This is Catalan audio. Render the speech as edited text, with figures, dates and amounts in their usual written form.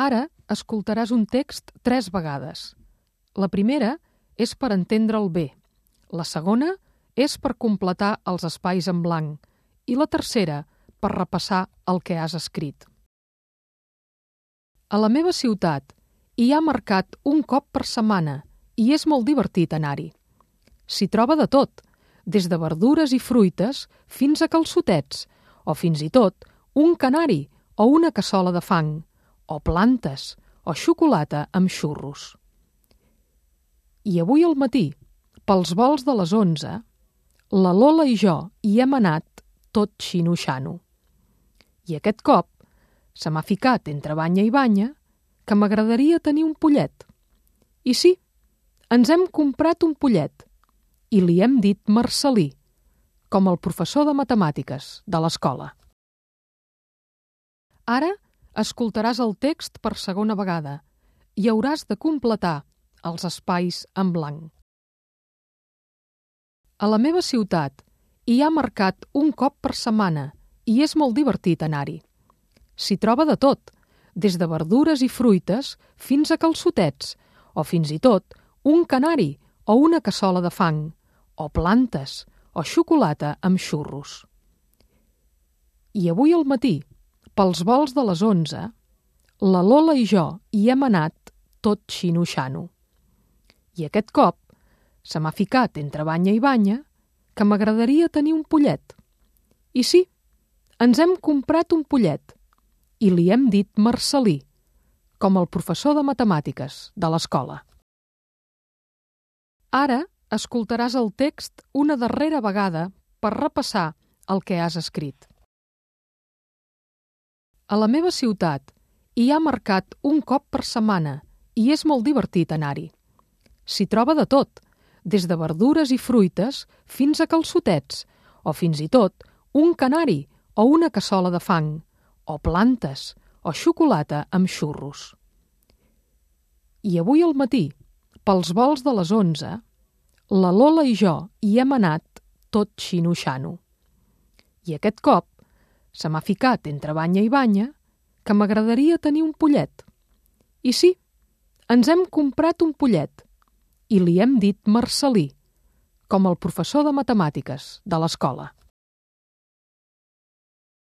Ara escoltaràs un text 3 vegades. La primera és per entendre'l bé, la segona és per completar els espais en blanc i la tercera per repassar el que has escrit. A la meva ciutat hi ha mercat un cop per setmana i és molt divertit anar-hi. S'hi troba de tot, des de verdures i fruites fins a calçotets, o fins i tot un canari o una cassola de fang, o plantes, o xocolata amb xurros. I avui al matí, pels volts de les 11, la Lola i jo hi hem anat tot xino-xano. I aquest cop se m'ha ficat entre banya i banya que m'agradaria tenir un pollet. I sí, ens hem comprat un pollet i li hem dit Marcelí, com el professor de matemàtiques de l'escola. Ara escoltaràs el text per segona vegada i hauràs de completar els espais en blanc. A la meva ciutat hi ha mercat un cop per setmana i és molt divertit anar-hi. S'hi troba de tot, des de verdures i fruites fins a calçotets, o fins i tot un canari o una cassola de fang, o plantes, o xocolata amb xurros. I avui al matí, pels volts de les 11, la Lola i jo hi hem anat tot xino-xano. I aquest cop se m'ha ficat entre banya i banya que m'agradaria tenir un pollet. I sí, ens hem comprat un pollet i li hem dit Marcelí, com el professor de matemàtiques de l'escola. Ara escoltaràs el text una darrera vegada per repassar el que has escrit. A la meva ciutat hi ha mercat un cop per setmana i és molt divertit anar-hi. S'hi troba de tot, des de verdures i fruites fins a calçotets, o fins i tot un canari o una cassola de fang, o plantes, o xocolata amb xurros. I avui al matí, pels volts de les 11, la Lola i jo hi hem anat tot xino-xano. I aquest cop se m'ha ficat entre banya i banya que m'agradaria tenir un pollet. I sí, ens hem comprat un pollet i li hem dit Marcelí, com el professor de matemàtiques de l'escola.